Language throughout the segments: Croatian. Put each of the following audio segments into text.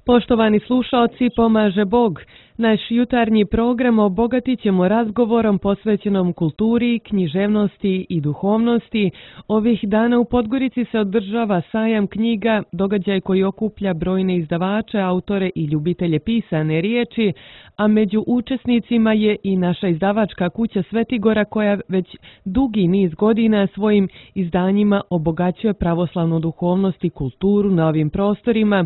Poštovani slušaoci, pomaže Bog. Naš jutarnji program obogatit ćemo razgovorom posvećenom kulturi, književnosti i duhovnosti. Ovih dana u Podgorici se održava sajam knjiga, događaj koji okuplja brojne izdavače, autore i ljubitelje pisane riječi, a među učesnicima je i naša izdavačka kuća Svetigora koja već dugi niz godina svojim izdanjima obogaćuje pravoslavnu duhovnost i kulturu na ovim prostorima.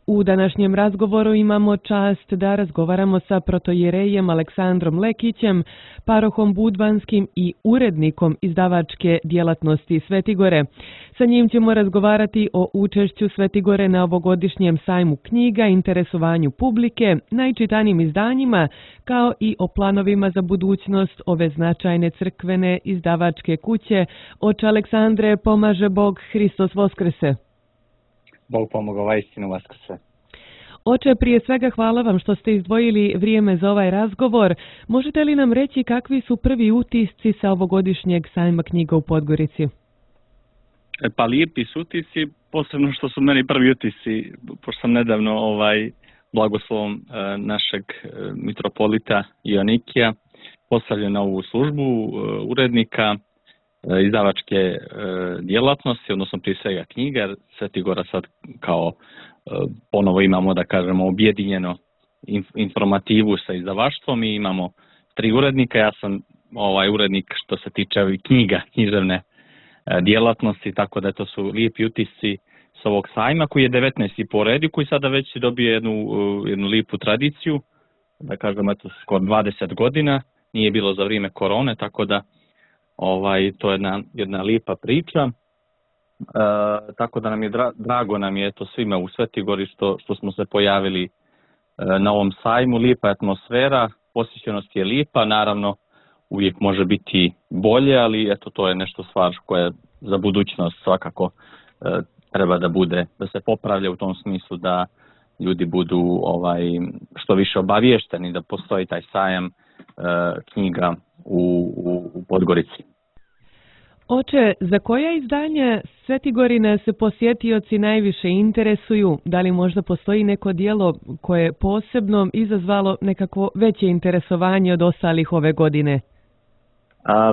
U današnjem razgovoru imamo čast da razgovaramo sa protojerejem Aleksandrom Lekićem, parohom budvanskim i urednikom izdavačke djelatnosti Svetigore. Sa njim ćemo razgovarati o učešću Svetigore na ovogodišnjem sajmu knjiga, interesovanju publike, najčitanijim izdanjima, kao i o planovima za budućnost ove značajne crkvene izdavačke kuće. Oče Aleksandre, pomaže Bog, Hristos Voskrese. Bog pomogao, istinu vaskrse. Oče, prije svega hvala vam što ste izdvojili vrijeme za ovaj razgovor. Možete li nam reći kakvi su prvi utisci sa ovogodišnjeg sajma knjiga u Podgorici? Pa lijepi su utisci, posebno što su meni prvi utisci, pošto sam nedavno blagoslovom našeg mitropolita Ionikija postavljen na ovu službu urednika izdavačke djelatnosti, odnosno prije svega knjiga, jer Svetigora sad kao ponovo imamo, da kažemo, objedinjeno informativu sa izdavaštvom i imamo 3 urednika. Ja sam urednik što se tiče ovih knjiga, književne djelatnosti, tako da to su lijepi utisci s ovog sajma koji je 19. po redu, koji sada već dobije jednu lijepu tradiciju, da kažemo, eto, skoro 20 godina, nije bilo za vrijeme korone, tako da to je jedna lijepa priča. Tako da nam je drago nam je to svima u Svetigori što smo se pojavili na ovom sajmu. Lijepa atmosfera, posjećenost je lijepa, naravno uvijek može biti bolje, ali eto, to je nešto stvar koja za budućnost svakako treba da bude, da se popravlja u tom smislu da ljudi budu što više obaviješteni da postoji taj sajam knjiga u Podgorici. Oče, za koja izdanja Svetigorina se posjetioci najviše interesuju? Da li možda postoji neko djelo koje je posebno izazvalo nekako veće interesovanje od ostalih ove godine?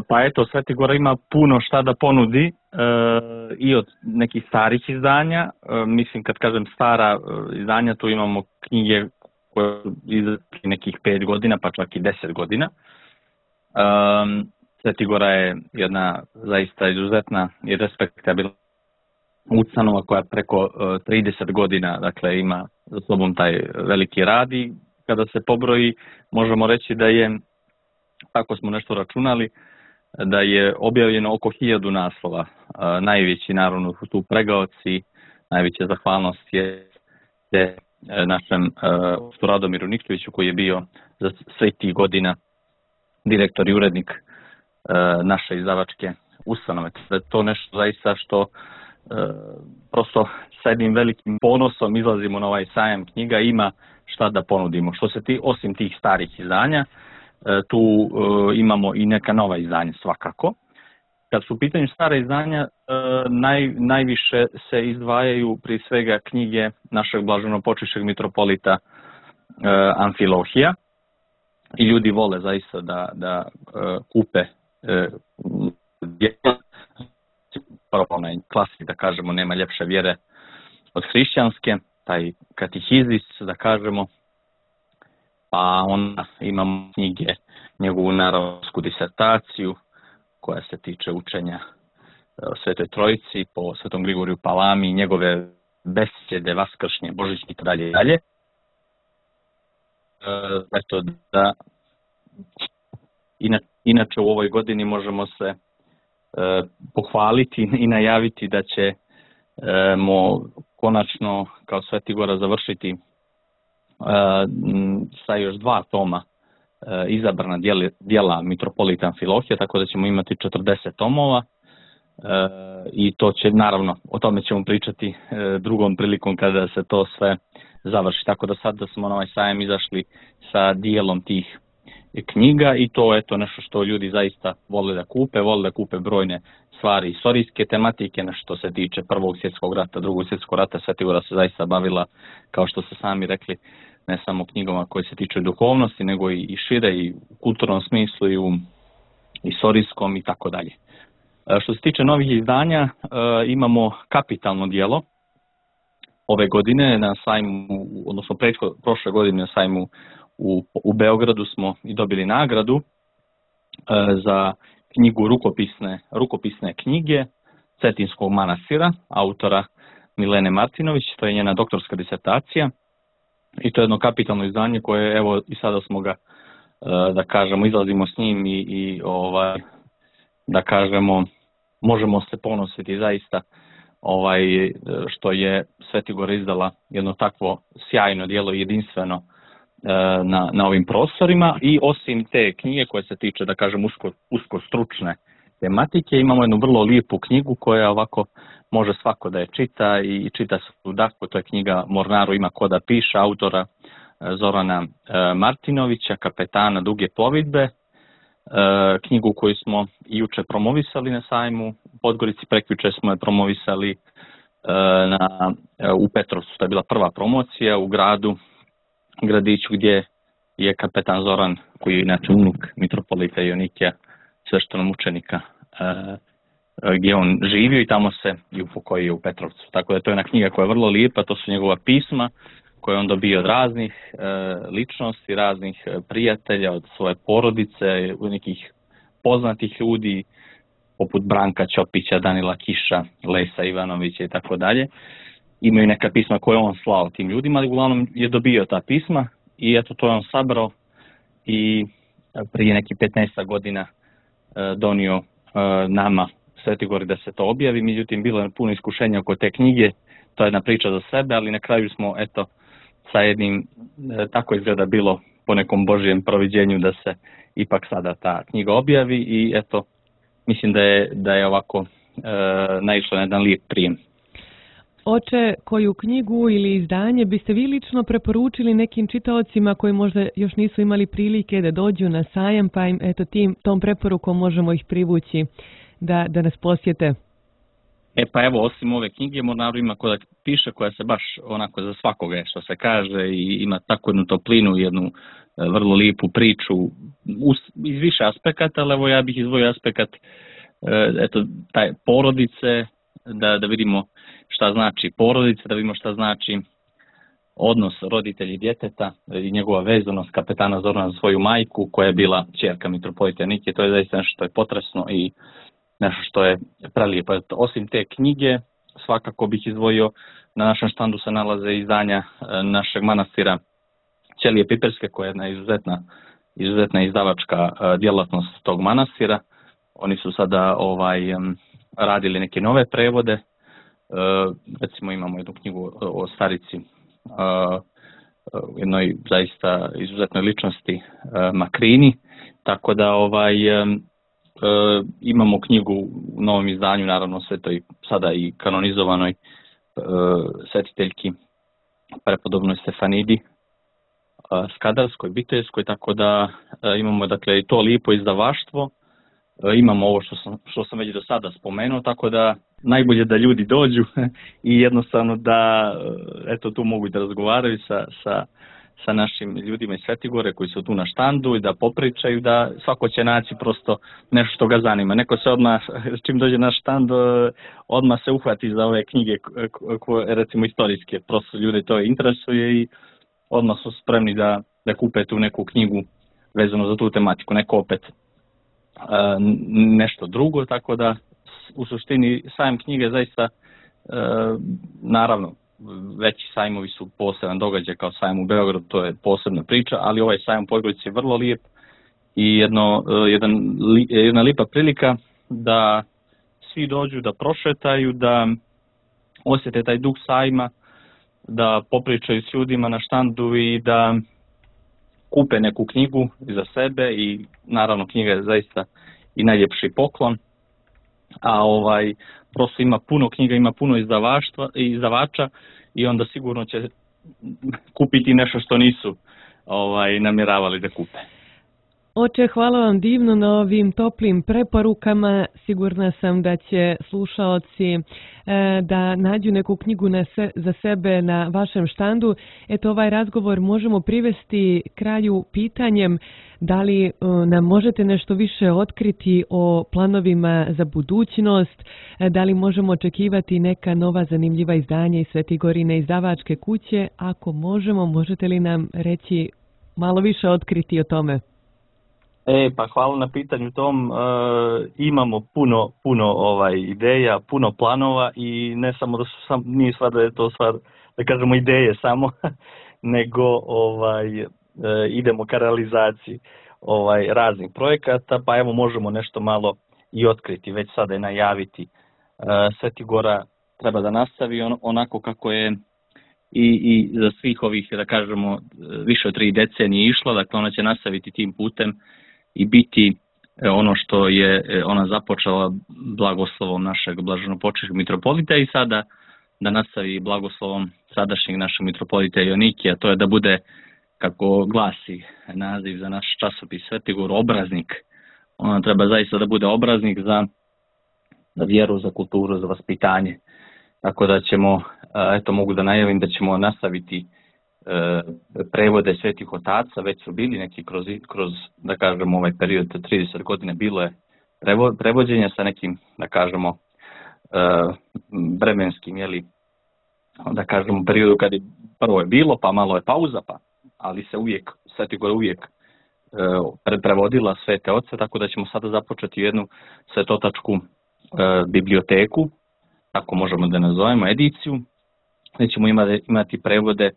Pa eto, Svetigora ima puno šta da ponudi i od nekih starih izdanja. Mislim, kad kažem stara izdanja, tu imamo knjige koje su izašli nekih 5 godina, pa čak i 10 godina. Svetigora je jedna zaista izuzetna i respektabilna ustanova koja preko 30 godina, dakle, ima za sobom taj veliki rad i kada se pobroji možemo reći da je, tako smo nešto računali, da je objavljeno oko 1000 naslova. Najveći naravno su tu pregaoci, najveća zahvalnost je našem Radomiru Nikčeviću koji je bio za sve tih godina direktor i urednik naše izdavačke ustanove. To je nešto zaista što prosto sa jednim velikim ponosom izlazimo na ovaj sajam knjiga, ima šta da ponudimo. Što se osim tih starih izdanja, tu imamo i neka nova izdanja svakako. Kad su u pitanju stare izdanja, najviše se izdvajaju prije svega knjige našeg blaženopočivšeg mitropolita Amfilohija i ljudi vole zaista da kupe onaj klasik, da kažemo, nema ljepše vjere od hrišćanske, taj katehizis, da kažemo, pa onda imamo knjige, njegovu naravsku disertaciju koja se tiče učenja o Svetoj Trojici po Svetom Grigoriju Palami, njegove besjede vaskršnje, božićne i dalje i dalje. Eto da inače u ovoj godini možemo se pohvaliti i najaviti da ćemo konačno kao Svetigora završiti sa još 2 toma izabrana djela mitropolita Amfilohija, tako da ćemo imati 40 tomova i to će, naravno, o tome ćemo pričati drugom prilikom kada se to sve završi. Tako da sad da smo na ovaj sajam izašli sa dijelom tih knjiga i to je nešto što ljudi zaista vole da kupe brojne stvari istorijske tematike, na što se tiče Prvog svjetskog rata, Drugog svjetskog rata. Svetigora se zaista bavila, kao što ste sami rekli, ne samo knjigama koje se tiču duhovnosti, nego i šire, i u kulturnom smislu, i u istorijskom i tako dalje. Što se tiče novih izdanja, imamo kapitalno djelo. Ove godine na sajmu, odnosno prošle godine na sajmu u Beogradu smo i dobili nagradu za knjigu rukopisne knjige Cetinskog manastira, autora Milene Martinović. To je njena doktorska disertacija i to je jedno kapitalno izdanje koje, evo, i sada smo ga, da kažemo, izlazimo s njim i da kažemo, možemo se ponositi zaista što je Svetigora izdala jedno takvo sjajno djelo i jedinstveno na ovim prostorima. I osim te knjige koje se tiče, da kažem, usko stručne tematike, imamo jednu vrlo lijepu knjigu koja ovako može svako da je čita i čita se u dahu. To je knjiga Mornaru ima ko da piše, autora Zorana Martinovića, kapetana Duge plovidbe. Knjigu koju smo juče promovisali na sajmu u Podgorici, prekjuče smo je promovisali u Petrovcu. To je bila prva promocija u gradiću gdje je kapetan Zoran, koji je inače unuk mitropolita Jonikija, sveštenomučenika, gdje on živio i tamo se i upokojio u Petrovcu. Tako da to je jedna knjiga koja je vrlo lijepa, to su njegova pisma koje on dobio od raznih ličnosti, raznih prijatelja, od svoje porodice, od nekih poznatih ljudi, poput Branka Ćopića, Danila Kiša, Lesa Ivanovića i tako dalje. Imaju neka pisma koje on slao tim ljudima, ali uglavnom je dobio ta pisma i eto, to je on sabrao i prije nekih 15 godina donio nama Svetigori da se to objavi. Međutim, bilo je puno iskušenja oko te knjige, to je jedna priča za sebe, ali na kraju smo, eto, sa jednim, tako izgleda bilo po nekom Božijem proviđenju, da se ipak sada ta knjiga objavi i eto, mislim da je ovako naišlo na jedan lijep prijem. Oče, koju knjigu ili izdanje biste vi lično preporučili nekim čitaocima koji možda još nisu imali prilike da dođu na sajam, pa im eto tom preporukom možemo ih privući da nas posjete? Pa evo, osim ove knjige Mornaru ima ko da piše, koja se baš onako za svakoga, što se kaže, i ima takvu jednu toplinu, jednu vrlo lijepu priču iz više aspekata, ali evo ja bih izdvojio aspekat taj porodice, da vidimo šta znači porodica, da vidimo šta znači odnos roditelji djeteta i njegova vezanost kapetana Zorana za svoju majku, koja je bila ćerka mitropolita Jonikije. To je zaista nešto što je potresno i nešto što je prelijepo. Osim te knjige, svakako bih izdvojio, na našem štandu se nalaze izdanja našeg manastira Ćelije Piperske, koja je jedna izuzetna izdavačka djelatnost tog manastira. Oni su sada radili neke nove prevode. Recimo imamo jednu knjigu o starici, jednoj zaista izuzetnoj ličnosti Makrini, tako da imamo knjigu u novom izdanju, naravno svetoj sada i kanonizovanoj svetiteljki prepodobnoj Stefanidi Skadarskoj, Bitejskoj, tako da imamo, dakle, i to lijepo izdavaštvo. Imamo ovo što sam već do sada spomenuo, tako da najbolje da ljudi dođu i jednostavno da eto tu mogu da razgovaraju sa našim ljudima iz Svetigore koji su tu na štandu i da popričaju, da svako će naći prosto nešto što ga zanima. Neko se odmah, čim dođe na štand, odmah se uhvati za ove knjige, recimo istorijske, prosto ljude to interesuje i odmah su spremni da kupe tu neku knjigu vezano za tu tematiku, neko opet nešto drugo, tako da u suštini sajam knjige zaista, naravno, veći sajmovi su poseban događaj kao sajam u Beogradu, to je posebna priča, ali ovaj sajam u Podgorici je vrlo lijep i jedna lijepa prilika da svi dođu, da prošetaju, da osjete taj duh sajma, da popričaju s ljudima na štandu i da kupe neku knjigu za sebe i naravno knjiga je zaista i najljepši poklon. A prosto ima puno knjiga, ima puno izdavača i onda sigurno će kupiti nešto što nisu namjeravali da kupe. Oče, hvala vam divno na ovim toplim preporukama. Sigurna sam da će slušaoci da nađu neku knjigu za sebe na vašem štandu. Eto, ovaj razgovor možemo privesti kraju pitanjem da li nam možete nešto više otkriti o planovima za budućnost, da li možemo očekivati neka nova zanimljiva izdanja iz Svetigorine izdavačke kuće. Ako možemo, možete li nam reći malo više otkriti o tome? Pa hvala na pitanju tom. Imamo puno ideja, puno planova i ne samo da su nije stvar da je to stvar, da kažemo ideje samo, nego idemo ka realizaciji raznih projekata, pa evo možemo nešto malo i otkriti, već sada je najaviti. Svetigora treba da nastavi onako kako je i za svih ovih, da kažemo, više od 3 decenije išlo, dakle ona će nastaviti tim putem i biti ono što je ona započela blagoslovom našeg blaženopočivšeg mitropolita i sada da nastavi blagoslovom sadašnjeg našeg mitropolita Jonikija, to je da bude, kako glasi naziv za naš časopis Svetigor, obraznik. Ona treba zaista da bude obraznik za vjeru, za kulturu, za vaspitanje. Tako da ćemo, eto mogu da najavim da ćemo nastaviti prevode svetih otaca, već su bili neki kroz da kažemo ovaj period 30 godina bilo je prevođenja sa nekim, da kažemo, vremenskim, da kažemo periodu kad je prvo je bilo, pa malo je pauza, ali se Svetigora uvijek prevodila svete oce, tako da ćemo sada započeti jednu svetotačku biblioteku, tako možemo da nazovemo, ediciju, gdje ćemo imati prevode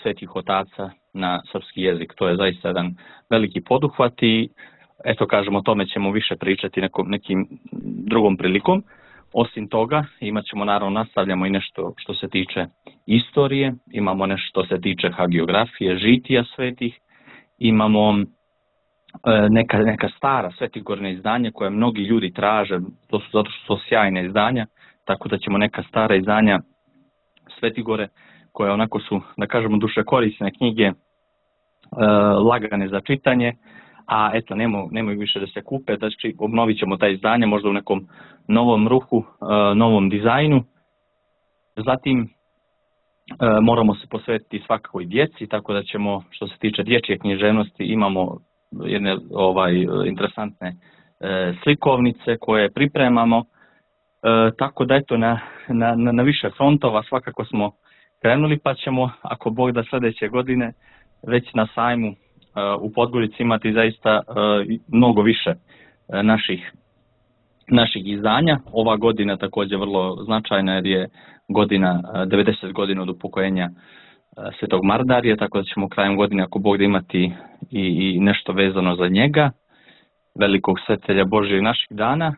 svetih otaca na srpski jezik. To je zaista jedan veliki poduhvat i eto kažemo o tome ćemo više pričati nekim drugom prilikom. Osim toga imat ćemo, naravno, nastavljamo i nešto što se tiče istorije, imamo nešto što se tiče hagiografije, žitija svetih, imamo neka stara svetigorna izdanja koje mnogi ljudi traže, to su zato što su sjajne izdanja, tako da ćemo neka stara izdanja Svetigore koje onako su, da kažemo, dušekorisne knjige, lagane za čitanje, a eto nemaju više da se kupe, znači obnovit ćemo ta izdanja možda u nekom novom ruhu, novom dizajnu. Zatim moramo se posvetiti svakako i djeci, tako da ćemo, što se tiče dječje književnosti, imamo jedne interesantne slikovnice koje pripremamo, tako da eto na više frontova svakako smo krenuli, pa ćemo, ako Bog da, sljedeće godine već na sajmu u Podgorici imati zaista mnogo više naših izdanja. Ova godina također vrlo značajna jer je godina 90 godina od upokojenja Svetog Mardarija, tako da ćemo krajem godine, ako Bog da, imati i nešto vezano za njega, velikog svetitelja Božjeg naših dana.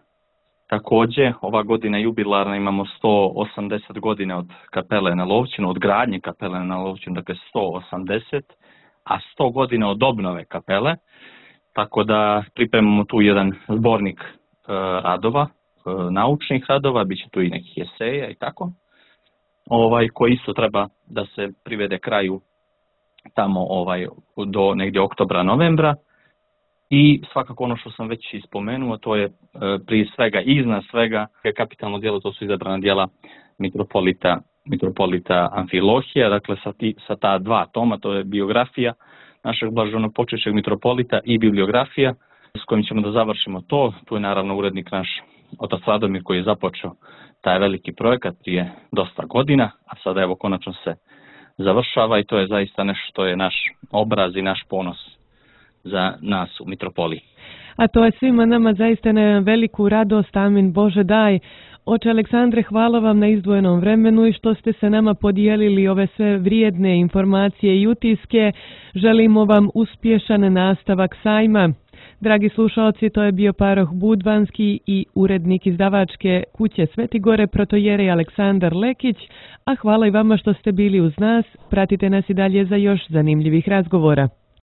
Također, ova godina jubilarna, imamo 180 godina od kapele na Lovćinu, od gradnje kapele na Lovćinu, dakle 180, a 100 godina od obnove kapele, tako da pripremamo tu jedan zbornik radova, naučnih radova, bit će tu i nekih eseja i tako, koji isto treba da se privede kraju tamo do negdje oktobra, novembra. I svakako ono što sam već ispomenuo, to je prije svega, iznad svega, kapitalno djelo, to su izabrana djela mitropolita Amfilohija, dakle sa ta 2 toma, to je biografija našeg blaženopočivšeg mitropolita i bibliografija, s kojim ćemo da završimo to. Tu je naravno urednik naš otac Radomir koji je započeo taj veliki projekat prije dosta godina, a sada evo konačno se završava i to je zaista nešto što je naš obraz i naš ponos za nas u mitropoliji. A to je svima nama zaista na veliku radost, amin Bože daj. Oče Aleksandre, hvala vam na izdvojenom vremenu i što ste se nama podijelili ove sve vrijedne informacije i utiske. Želimo vam uspješan nastavak sajma. Dragi slušalci, to je bio paroh Budvanski i urednik izdavačke kuće Svetigore, protojerej Aleksandar Lekić, a hvala i vama što ste bili uz nas. Pratite nas i dalje za još zanimljivih razgovora.